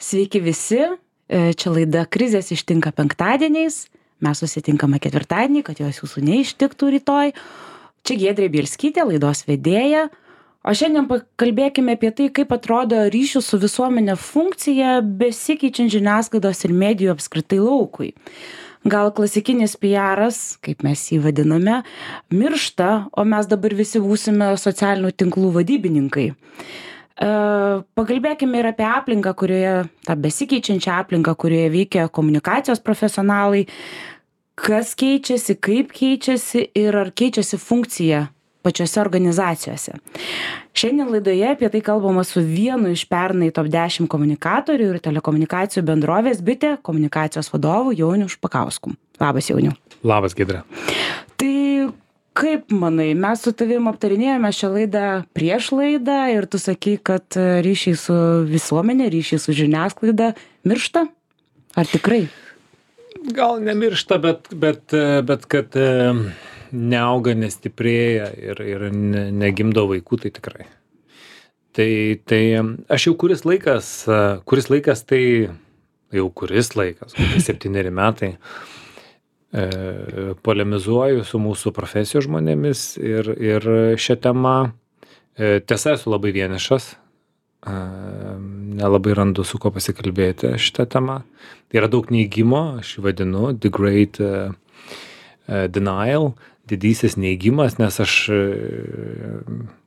Sveiki visi, čia laida Krizės ištinka penktadieniais, mes susitinkame ketvirtadienį, kad jos jūsų neištiktų rytoj. Čia Giedrė Bielskytė, laidos vedėja, o šiandien pakalbėkime apie tai, kaip atrodo ryšių su visuomenė funkcija besikeičiant žiniasklaidos ir medijų apskritai laukui. Gal klasikinis PR'as, kaip mes jį vadiname, miršta, o mes dabar visi būsime socialinių tinklų vadybininkai. Pakalbėkime ir apie aplinką, tą besikeičiančią aplinką, kurioje veikia komunikacijos profesionalai, kas keičiasi, kaip keičiasi ir ar keičiasi funkcija pačiose organizacijose. Šiandien laidoje apie tai kalbama su vienu iš pernai top 10 komunikatorių ir telekomunikacijų bendrovės Bitė komunikacijos vadovu Jauniu Špakausku. Labas, Jauniu. Labas, Giedrė. Tai kaip manai, mes su tavim aptarinėjome šią laidą prieš laidą ir tu sakai, kad ryšiai su visuomenė, ryšiai su žiniasklaida miršta? Ar tikrai? Gal nemiršta, bet kad neauga, nestiprėja ir negimdo vaikų, tai tikrai. Tai aš jau kuris laikas, kokie 7 metai, polemizuoju su mūsų profesijos žmonėmis ir šią temą. Tiesa, esu labai vienišas, nelabai randu su ko pasikalbėti šitą temą. Yra daug neigimo, aš vadinu the great denial, didysis neigimas, nes aš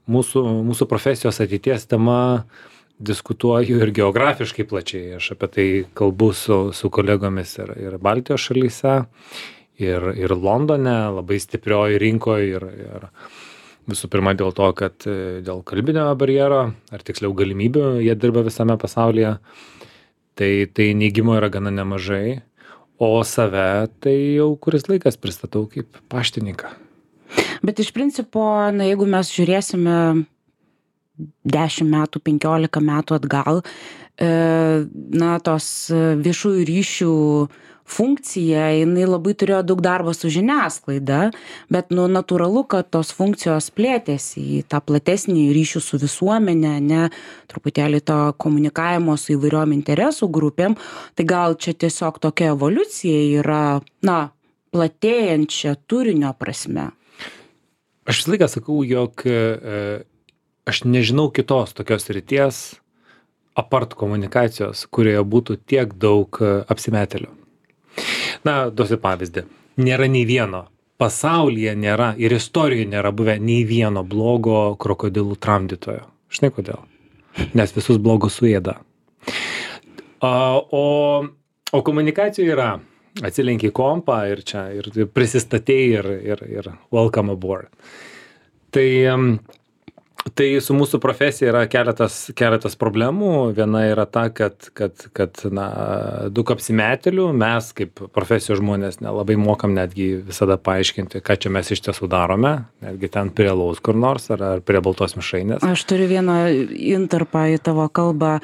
mūsų profesijos ateities tema diskutuoju ir geografiškai plačiai. Aš apie tai kalbu su kolegomis ir Baltijos šalyse, ir Londone, labai stiprioj rinkoje ir visų pirma dėl to, kad dėl kalbinio barjero, ar tiksliau galimybių, jie dirba visame pasaulyje, tai neigimo yra gana nemažai, o save tai jau kuris laikas pristatau kaip paštininką. Bet iš principo, jeigu mes žiūrėsime 10 metų, 15 metų atgal, tos viešųjų ryšių funkcija, jinai labai turėjo daug darbo su žiniasklaida, bet natūralu, kad tos funkcijos plėtėsi į tą platesnį ryšių su visuomenė, truputėlį to komunikavimo su įvairiom interesų grupėm, tai gal čia tiesiog tokia evoliucija yra, platėjančia turinio prasme. Aš visą laiką sakau, jog aš nežinau kitos tokios srities apart komunikacijos, kurioje būtų tiek daug apsimetėlių. Duosiu pavyzdį. Nėra nei vieno, pasaulyje nėra ir istorijoje nėra buvę nei vieno blogo krokodilų tramdytojo. Žinai kodėl? Nes visus blogus suėda. O komunikacijoje yra, atsilenki kompą ir čia ir prisistatei ir welcome aboard. Tai su mūsų profesija yra keletas problemų. Viena yra ta, kad daug apsimetėlių, mes kaip profesijos žmonės nelabai mokam netgi visada paaiškinti, ką čia mes iš tiesų darome, netgi ten prie alaus kur nors ar prie baltos mišrainės. Aš turiu vieną intarpą į tavo kalbą.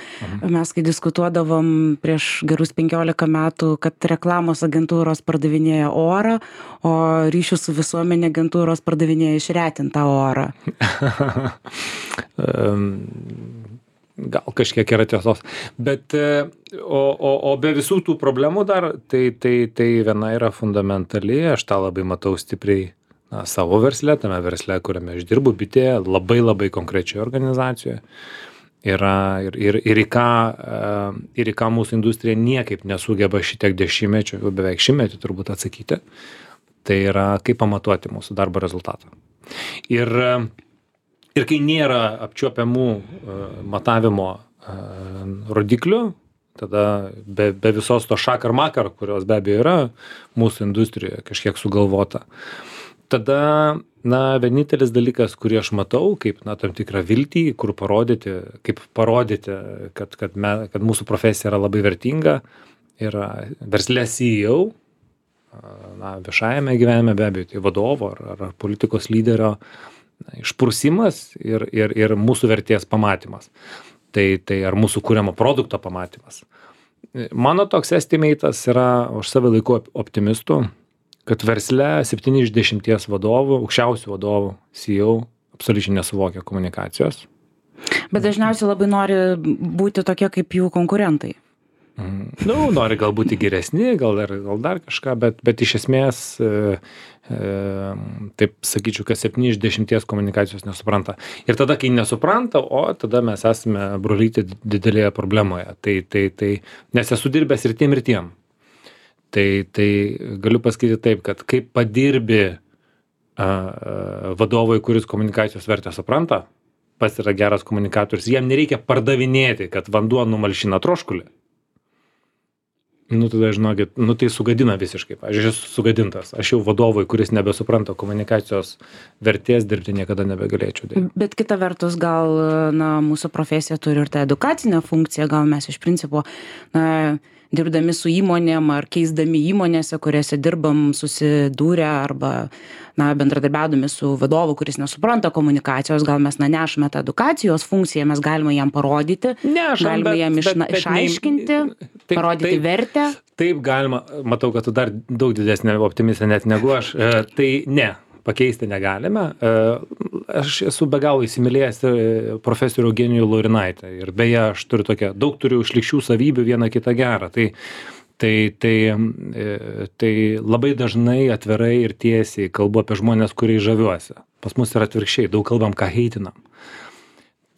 Mes kai diskutuodavom prieš gerus 15 metų, kad reklamos agentūros pardavinėja orą, o ryšių su visuomenė agentūros pardavinėja išretintą orą. Gal kažkiek yra tiesos, bet o be visų tų problemų dar, tai viena yra fundamentali, aš tą labai matau stipriai savo versle, tame versle, kuriame aš dirbu, Bitėje, labai konkrečioje organizacijoje. Ir į ką mūsų industrija niekaip nesugeba šitiek dešimtmečių, jau beveik šimtmetį turbūt atsakyti, tai yra kaip pamatuoti mūsų darbo rezultatą. Ir kai nėra apčiuopiamų matavimo rodiklių, tada be visos to šakar makar, kurios be abejo yra mūsų industrijoje kažkiek sugalvota, tada vienintelis dalykas, kurį aš matau, kaip tam tikrą viltį, kaip parodyti, kad mūsų profesija yra labai vertinga, yra versle CEO, viešajame gyvenime be abejo, tai vadovo ar politikos lyderio išprusimas ir mūsų vertės pamatymas. Tai ar mūsų kuriamo produkto pamatymas. Mano toks estimatas yra, aš save laiku optimistų, kad versle 7 iš 10 vadovų, aukščiausių vadovų, CEO, absoliučiai nesuvokia komunikacijos. Bet dažniausiai labai nori būti tokie kaip jų konkurentai. Nori gal būti geresni, gal dar kažką, bet iš esmės, taip sakyčiau, kad 7 iš 10 komunikacijos nesupranta. Ir tada, kai nesupranta, tada mes esame brolyti didelėje problemoje. Nes esu dirbęs ir tiem. Tai galiu pasakyti taip, kad kaip padirbi vadovui, kuris komunikacijos vertę supranta, pats yra geras komunikatorius, jam nereikia pardavinėti, kad vanduo numalšina troškulį. Tada žinokit, tai sugadina visiškai. Aš esu sugadintas. Aš jau vadovui, kuris nebesupranta komunikacijos vertės, dirbti niekada nebegalėčiau. Bet kita vertus, gal mūsų profesija turi ir tą edukacinę funkciją, gal mes iš principo dirbdami su įmonėm ar keisdami įmonėse, kuriuose dirbam, susidūrę arba bendradarbiaudami su vadovu, kuris nesupranta komunikacijos, gal mes nešame tą edukacijos funkciją, mes galime jam parodyti, galime jam išaiškinti, parodyti vertę. Taip galima, matau, kad tu dar daug didesnė optimistė net negu aš. Tai ne, pakeisti negalime. Aš esu be galo įsimylėjęs profesorių Eugenijų Laurinaitę. Ir beje, aš daug turiu šlykščių savybių, vieną kitą gerą. Tai labai dažnai atvirai ir tiesiai kalbu apie žmonės, kuriais žaviuosi. Pas mus yra atvirkščiai, daug kalbam, ką heitinam.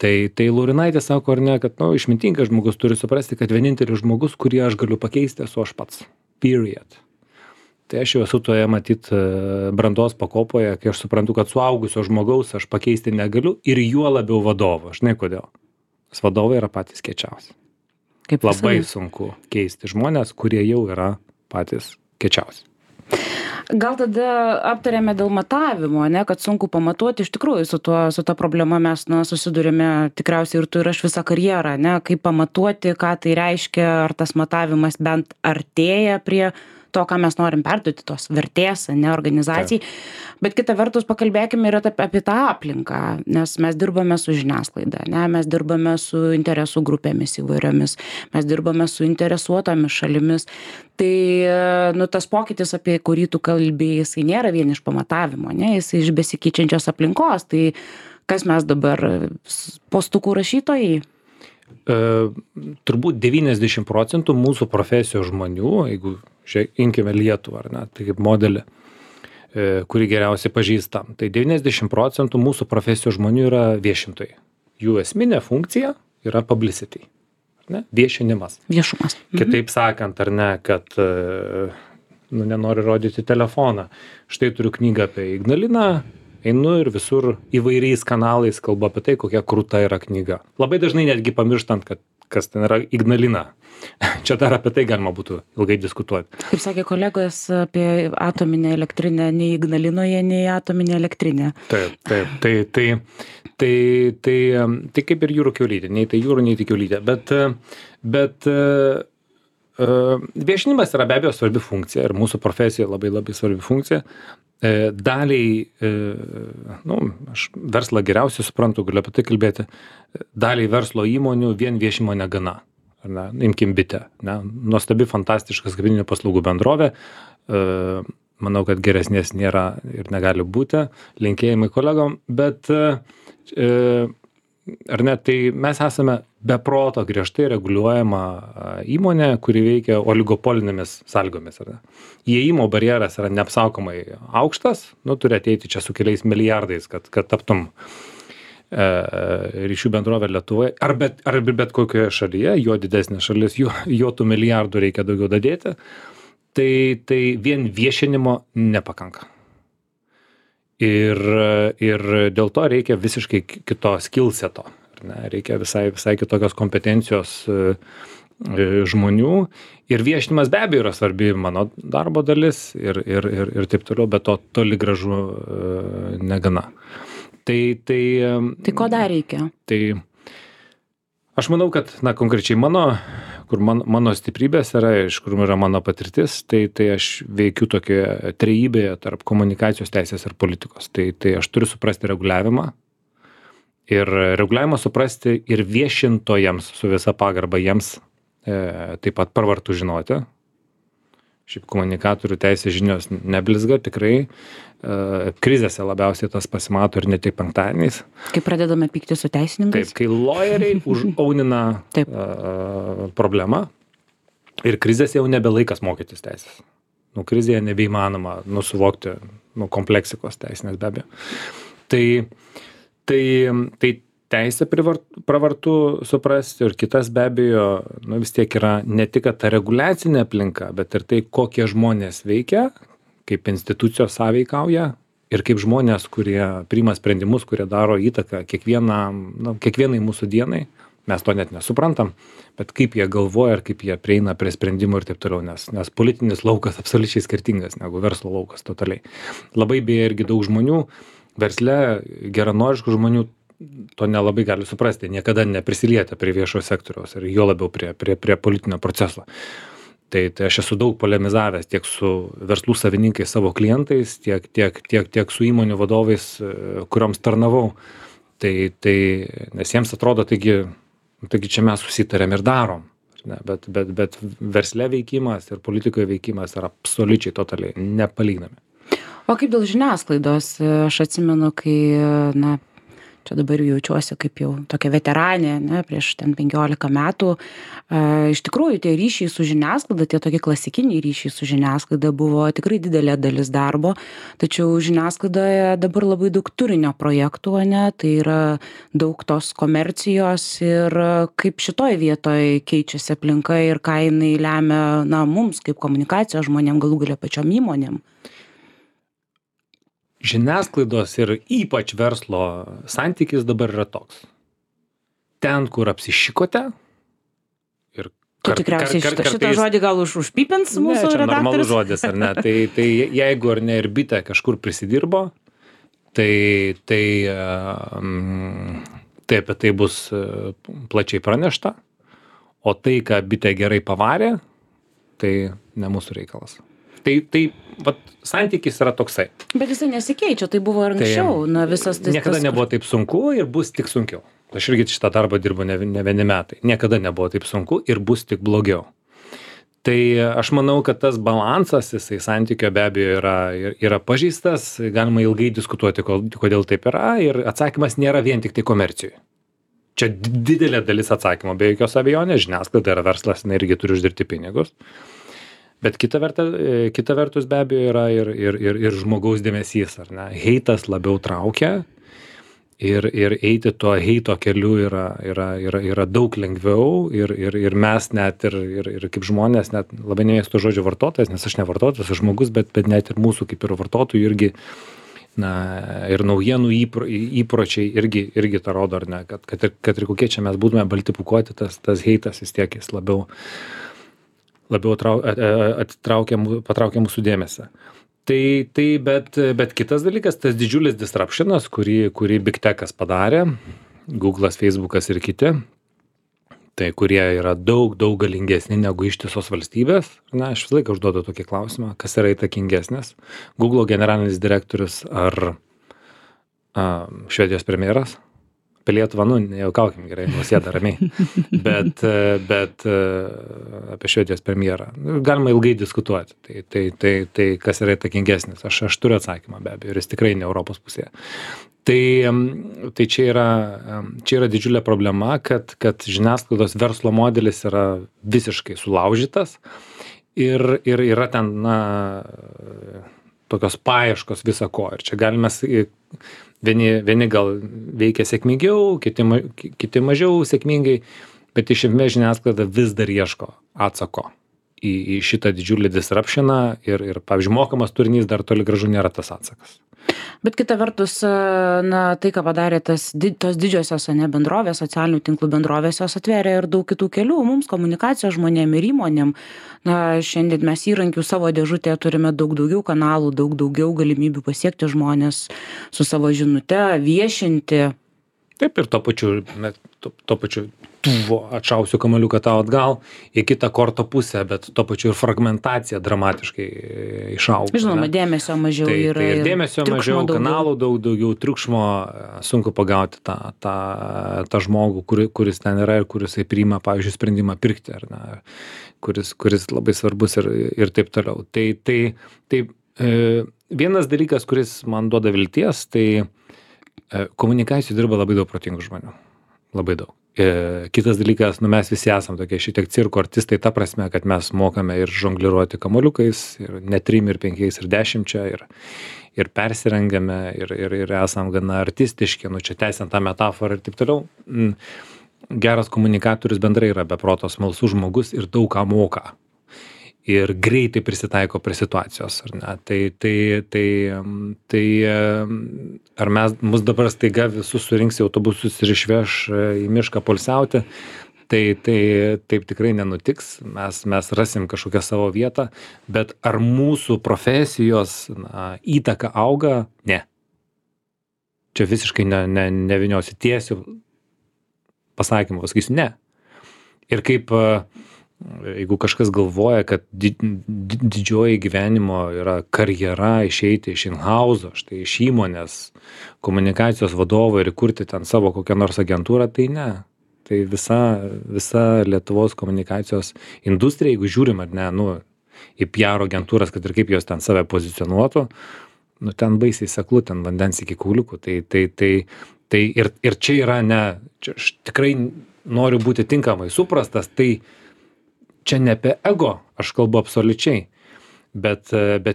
Tai Laurinaitė sako, ar ne, kad išmintingas žmogus turi suprasti, kad vienintelis žmogus, kurį aš galiu pakeisti, esu aš pats. Period. Tai aš jau esu toje, matyt, brandos pakopoje, kai aš suprantu, kad suaugusio žmogaus aš pakeisti negaliu ir juo labiau vadovo. Žinai kodėl? Nes vadovai yra patys kiečiausi. Labai sunku keisti žmonės, kurie jau yra patys kiečiausi. Gal tada aptarėme dėl matavimo, kad sunku pamatuoti, iš tikrųjų su ta problema mes susidurėme tikriausiai ir tu ir aš visą karjerą, kaip pamatuoti, ką tai reiškia, ar tas matavimas bent artėja prie to, ką mes norim perduoti, tos vertės, organizacijai. Bet kita vertus pakalbėkime ir apie tą aplinką, nes mes dirbame su žiniasklaida, mes dirbame su interesų grupėmis įvairiomis, mes dirbame su interesuotomis šalimis. Tai tas pokytis, apie kurį tu kalbėjai, jisai nėra vien iš pamatavimo, jisai iš besikeičiančios aplinkos. Tai kas mes dabar, postukų rašytojai? Turbūt 90% mūsų profesijos žmonių, jeigu imkime Lietuvą, ar ne, tai kaip modelį, kurį geriausiai pažįstam, tai 90% mūsų profesijos žmonių yra viešintojai. Jų esminė funkcija yra publicity, ar ne, viešinimas. Viešumas. Kitaip sakant, ar ne, kad nenori rodyti telefoną. Štai turiu knygą apie Ignaliną, einu ir visur įvairiais kanalais kalbu apie tai, kokia krūta yra knyga. Labai dažnai netgi pamirštant, kad kas ten yra Ignalina. Čia dar apie tai galima būtų ilgai diskutuoti. Kaip sakė kolegos, apie atominę elektrinę nei Ignalinoje, nei atominę elektrinę. Taip. Tai kaip ir jūrų kiaulytė. Nei tai jūrų, nei tai kiaulytė. Bet viešinimas yra be abejo svarbi funkcija ir mūsų profesija labai labai svarbi funkcija. Daliai, aš verslą geriausiai suprantu, galiu apie tai kalbėti, daliai verslo įmonių vien viešimo negana. Imkim Bitę. Nuostabi, fantastiška skaitmeninių paslaugų bendrovė. Manau, kad geresnės nėra ir negali būti. Linkėjimai kolegom. Bet ar ne, tai mes esame be proto griežtai reguliuojama įmonė, kuri veikia oligopolinėmis sąlygomis. Įėjimo barjeras yra neapsakomai aukštas, turi ateiti čia su keliais milijardais, kad taptum ryšių bendrovė Lietuvoje, ar bet kokioje šalyje, jo didesnė šalis, jo tų milijardų reikia daugiau dadėti, tai vien viešinimo nepakanka. Ir dėl to reikia visiškai kito skillseto. Reikia visai kitokios kompetencijos žmonių. Ir viešinimas be abejo yra svarbi mano darbo dalis ir taip toliau, bet to toli gražu negana. Tai ko dar reikia? Tai aš manau, kad konkrečiai mano stiprybės yra, iš kur yra mano patirtis, tai aš veikiu tokioje trejybėje tarp komunikacijos, teisės ir politikos. Tai aš turiu suprasti reguliavimą ir reguliavimą suprasti ir viešintojams su visa pagarba jiems taip pat pravartu žinoti. Šiaip komunikatorių teisės žinios neblizga, tikrai krizėse labiausiai tas pasimato ir ne tik penktadieniais. Kai pradedame pykti su teisininkais? Taip, kai lawyeriai užaunina problemą, Ir krizės jau nebe laikas mokytis teisės. Krizėje nebeįmanoma suvokti kompleksikos teisinės be abejo. Tai teisę pravartu suprasti ir kitas be abejo, vis tiek yra ne tik ta reguliacinė aplinka, bet ir tai, kokie žmonės veikia, kaip institucijos sąveikauja ir kaip žmonės, kurie priima sprendimus, kurie daro įtaką kiekvienai mūsų dienai, mes to net nesuprantam, bet kaip jie galvoja ir kaip jie prieina prie sprendimų ir taip toliau, nes politinis laukas absoliučiai skirtingas negu verslo laukas totaliai. Labai beje irgi daug žmonių, versle geranoriškų žmonių to nelabai gali suprasti, niekada neprisilietę prie viešojo sektoriaus ir jo labiau prie politinio proceso. Tai aš esu daug polemizavęs tiek su verslų savininkais savo klientais, tiek su įmonių vadovais, kurioms tarnavau. Nes jiems atrodo, taigi čia mes susitarėm ir darom. Bet versle veikimas ir politikoje veikimas yra absoliučiai totaliai nepalyginami. O kaip dėl žiniasklaidos? Aš atsimenu, kai, čia dabar jaučiuosi kaip jau tokia veteranė, prieš 15 metų. Iš tikrųjų, tie ryšiai su žiniasklaida, tie tokie klasikiniai ryšiai su žiniasklaida buvo tikrai didelė dalis darbo, tačiau žiniasklaidoje dabar labai daug turinio projektų, tai yra daug tos komercijos ir kaip šitoj vietoj keičiasi aplinka ir ką jinai lemia mums kaip komunikacijos žmonėm, galų gale pačiom įmonėm. Žiniasklaidos ir ypač verslo santykis dabar yra toks. Ten, kur apsišikote ir tikriausiai šitą žodį gal užpipins mūsų redaktorius? Čia normalus žodis, ar ne? Tai jeigu ar ne ir bitė kažkur prisidirbo, tai apie tai bus plačiai pranešta, o tai, ką bitė gerai pavarė, tai ne mūsų reikalas. Tai santykis yra toksai. Bet jisai nesikeičia, tai buvo ir anksčiau. Niekada nebuvo taip sunku ir bus tik sunkiau. Aš irgi šitą darbą dirbu ne vieni metai. Niekada nebuvo taip sunku ir bus tik blogiau. Tai aš manau, kad tas balansas, jisai santykio be abejo yra pažeistas, galima ilgai diskutuoti, kodėl taip yra, ir atsakymas nėra vien tik tai komercijai. Čia didelė dalis atsakymo, be jokios abejonės, žiniasklaida yra verslas, irgi turi uždirbti pinigus. Bet kita vertus be abejo yra ir žmogaus dėmesys, ar ne? Heitas labiau traukia ir eiti tuo heito keliu yra daug lengviau ir mes net ir kaip žmonės, net labai nemėgstu žodžio vartotojas, nes aš ne vartotojas, aš žmogus, bet net ir mūsų kaip ir vartotojų irgi, ir naujienų įpročiai irgi tą rodo, ar ne? Kad ir kokie čia mes būtume balti pūkuoti, tas heitas vis tiek jis labiau patraukia mūsų dėmesį. Bet kitas dalykas, tas didžiulis disruptionas, kurį Big Techas padarė, Google'as, Facebook'as ir kiti, tai kurie yra daug galingesni negu ištisos valstybės. Aš visą laiką užduodu tokį klausimą, kas yra įtakingesnis. Google generalinis direktorius ar Švedijos premjeras? Apie Lietuvą, nejaukaukim gerai, Nausėda ramiai, bet apie Švedijos premjerą galima ilgai diskutuoti. Tai kas yra įtakingesnis? Aš turiu atsakymą be abejo, ir jis tikrai ne Europos pusėje. Tai čia yra didžiulė problema, kad žiniasklaidos verslo modelis yra visiškai sulaužytas ir yra ten, tokios paieškos viso ko. Ir čia galime vieni gal veikia sėkmingiau, kiti mažiau sėkmingai, bet iš esmės žiniasklaida vis dar ieško atsako į šitą didžiulį disruptioną ir pavyzdžiui, mokamas turinys dar toli gražu nėra tas atsakas. Bet kita vertus, tai, ką padarė tos didžiosios bendrovės, socialinių tinklų bendrovės, jos atvėrė ir daug kitų kelių mums, komunikacijos žmonėm ir įmonėm. Šiandien mes įrankių savo dėžutėje turime daug daugiau kanalų, daug daugiau galimybių pasiekti žmonės su savo žinute, viešinti. Taip, ir tuo pačiu atšausiu kamuoliuką tau atgal į kitą korto pusę, bet tuo pačiu ir fragmentacija dramatiškai išauga. Žinoma, dėmesio mažiau yra. Ir dėmesio mažiau, kanalų daugiau, triukšmo, sunku pagauti tą žmogų, kuris ten yra ir kuris priima, pavyzdžiui, sprendimą pirkti, ar ne, kuris labai svarbus ir taip toliau. Tai vienas dalykas, kuris man duoda vilties, tai komunikacijų dirba labai daug protingų žmonių. Labai daug. Kitas dalykas, mes visi esam tokie šiek tiek cirko artistai, ta prasme, kad mes mokame ir žongliruoti kamuoliukais, ir ne 3, ir 5, ir 10, ir persirengiame, ir esam gana artistiški, čia tęsiant tą metaforą ir taip toliau. Geras komunikatorius bendrai yra beproto smalsus žmogus ir daug ką moka. Ir greitai prisitaiko prie situacijos, ar ne? Tai ar mus dabar staiga visus surinks į autobusus ir išveš į mišką poilsiauti, tai taip tikrai nenutiks, mes rasim kažkokią savo vietą, bet ar mūsų profesijos įtaka auga? Ne. Čia visiškai neviniosiu tiesiu pasakymą, pasakysiu ne. Ir kaip jeigu kažkas galvoja, kad didžioji gyvenimo yra karjera išeiti iš in-house'o, štai iš įmonės, komunikacijos vadovo ir įkurti ten savo kokią nors agentūrą, tai ne. Tai visa Lietuvos komunikacijos industrija, jeigu žiūrim, ar ne, į PR agentūras, kad ir kaip jos ten save pozicionuotų, ten baisiai seklu, ten vandens iki kauliukų. Tai ir čia yra ne, čia aš tikrai noriu būti tinkamai suprastas, tai čia ne apie ego, aš kalbu absoliučiai, bet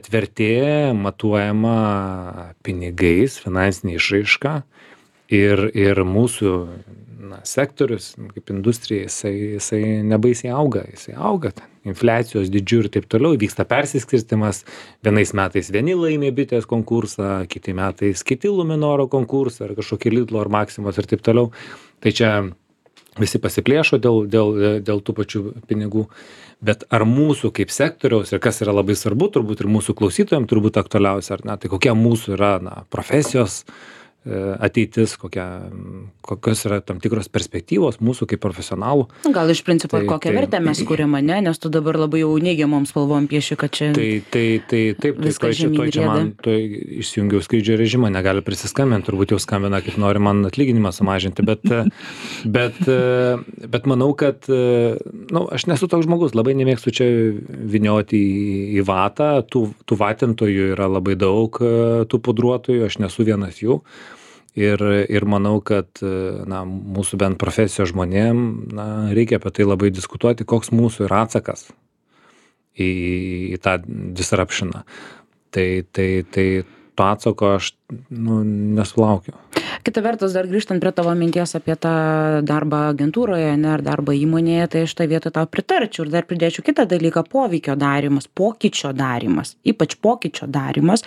vertė matuojama pinigais, finansinė išraiška ir mūsų sektorius, kaip industrija, jisai nebaisiai auga, infliacijos dydžiu ir taip toliau, vyksta persiskirstimas, vienais metais vieni laimė bitės konkursą, kiti metais kiti Luminoro konkursą, ar kažkokį Lidlo ar Maksimos ir taip toliau. Tai čia visi pasiplėšo dėl tų pačių pinigų, bet ar mūsų kaip sektoriaus, ir kas yra labai svarbu, turbūt ir mūsų klausytojams turbūt aktualiausia, ar ne, tai kokia mūsų yra profesijos ateitis, kokios yra tam tikros perspektyvos mūsų kaip profesionalų. Gal iš principo kokią vertę mes kuriam, ne? Nes tu dabar labai jau neigiamom spalvom pieši, kad čia taip, viskas žemyn rieda. Išsijungiau skrydžio režimą, negali prisiskambinti, turbūt jau skambina, kaip nori man atlyginimą sumažinti, bet manau, kad aš nesu toks žmogus, labai nemėgstu čia vynioti į vatą, tų vatintojų yra labai daug, tų pudruotojų, aš nesu vienas jų. Ir manau, kad mūsų bent profesijos žmonėm reikia apie tai labai diskutuoti, koks mūsų yra atsakas į tą disruptioną. Tai to atsako aš nesulaukiu. Kita vertus, dar grįžtant prie tavo minties apie tą darbą agentūroje, ar darbą įmonėje, tai aš tą vietą tau pritarčiau ir dar pridėčiau kitą dalyką - poveikio darymas, pokyčio darymas, ypač pokyčio darymas,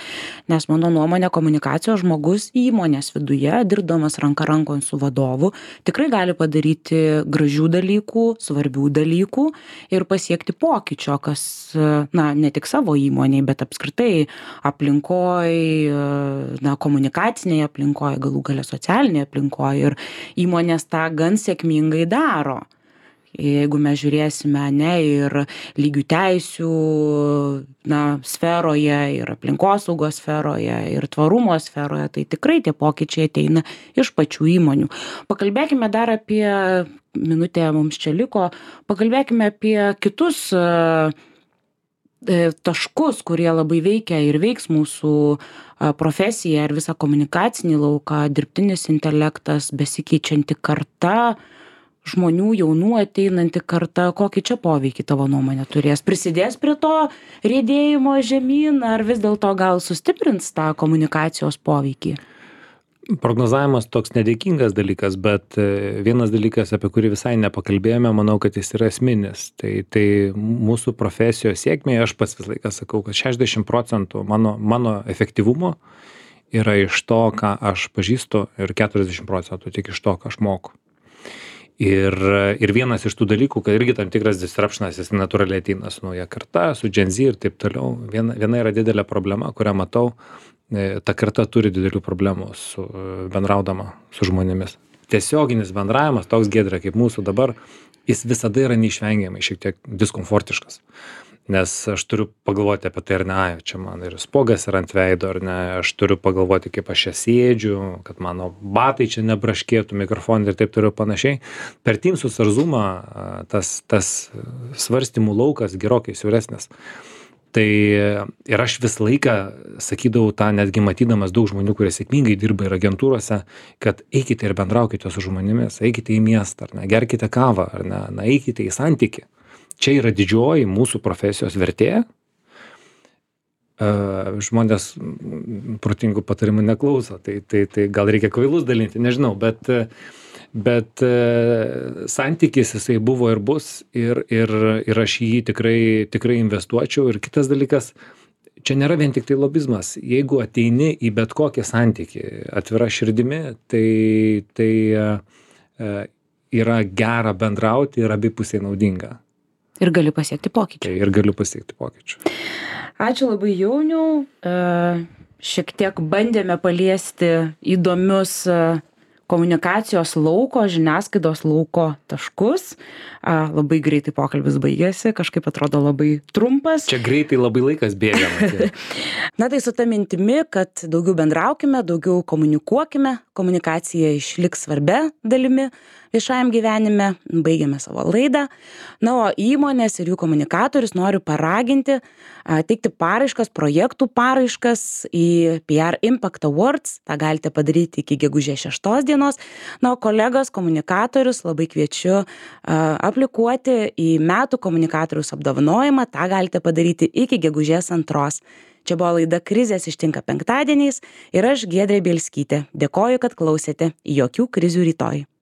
nes mano nuomonė komunikacijos žmogus įmonės viduje, dirbdamas ranka rankon su vadovu, tikrai gali padaryti gražių dalykų, svarbių dalykų ir pasiekti pokyčio, kas, ne tik savo įmonėje, bet apskritai aplinkoje, komunikacinėje aplinkoje, galų gale socialinėje aplinkoje ir įmonės tą gan sėkmingai daro. Jeigu mes žiūrėsime ir lygių teisių sferoje, ir aplinkosaugos sferoje, ir tvarumo sferoje, tai tikrai tie pokyčiai ateina iš pačių įmonių. Pakalbėkime dar apie, minutė mums čia liko, pakalbėkime apie kitus taškus, kurie labai veikia ir veiks mūsų profesiją ir visą komunikacinį lauką, dirbtinis intelektas, besikeičianti karta, žmonių jaunų ateinanti karta, kokį čia poveikį tavo nuomonė turės? Prisidės prie to riedėjimo žemyn, ar vis dėlto gal sustiprins tą komunikacijos poveikį? Prognozavimas toks nedėkingas dalykas, bet vienas dalykas, apie kurį visai nepakalbėjome, manau, kad jis yra esminis. Tai mūsų profesijos sėkmė, aš pats visą laiką sakau, kad 60% mano efektyvumo yra iš to, ką aš pažįstu, ir 40% tik iš to, ką aš moku. Ir vienas iš tų dalykų, kad irgi tam tikras disruptionas, jis natūraliai ateina su nauja karta, su Gen Z ir taip toliau. Viena yra didelė problema, kurią matau, ta karta turi didelių problemų bendraudama su žmonėmis. Tiesioginis bendravimas, toks Giedrė kaip mūsų dabar, jis visada yra neišvengiamai šiek tiek diskomfortiškas. Nes aš turiu pagalvoti apie tai, ar ne, čia man ir spogas yra ant veido, ar ne, aš turiu pagalvoti, kaip aš čia sėdžiu, kad mano batai čia nebraškėtų, mikrofonai ir taip toliau panašiai. Per Teamsus ar Zoomą tas svarstymų laukas gerokai siauresnis. Tai ir aš visą laiką sakydavau tą, netgi matydamas daug žmonių, kurie sėkmingai dirba ir agentūrose, kad eikite ir bendraukite su žmonėmis, eikite į miestą, ar ne, gerkite kavą, ar ne, na, eikite į santykį. Čia yra didžioji mūsų profesijos vertė. Žmonės protingų patarimų neklauso, tai gal reikia kvailus dalinti, nežinau, bet santykis jisai buvo ir bus ir aš į jį tikrai investuočiau. Ir kitas dalykas, čia nėra vien tik tai lobizmas. Jeigu ateini į bet kokį santykį atvira širdimi, tai yra gera bendrauti ir abipusiai naudinga. Ir gali pasiekti pokyčių. Ir galiu pasiekti pokyčių. Ačiū labai, Jauniau. Šiek tiek bandėme paliesti įdomius komunikacijos lauko, žiniasklaidos lauko taškus. Labai greitai pokalbis baigėsi, kažkaip atrodo labai trumpas. Čia greitai labai laikas bėga. Na tai su ta mintimi, kad daugiau bendraukime, daugiau komunikuokime, komunikacija išliks svarbia dalimi viešajam gyvenime, baigiame savo laidą. Na, o įmonės ir jų komunikatorius noriu paraginti teikti paraiškas, projektų paraiškas į PR Impact Awards. Ta galite padaryti iki gegužės 6 dienos. Na, o kolegos komunikatorius labai kviečiu aplikuoti į metų komunikatoriaus apdovanojimą. Ta galite padaryti iki gegužės 2. Čia buvo laida Krizės ištinka penktadieniais ir aš Giedrė Bielskytė. Dėkoju, kad klausėte. Jokių krizių rytoj.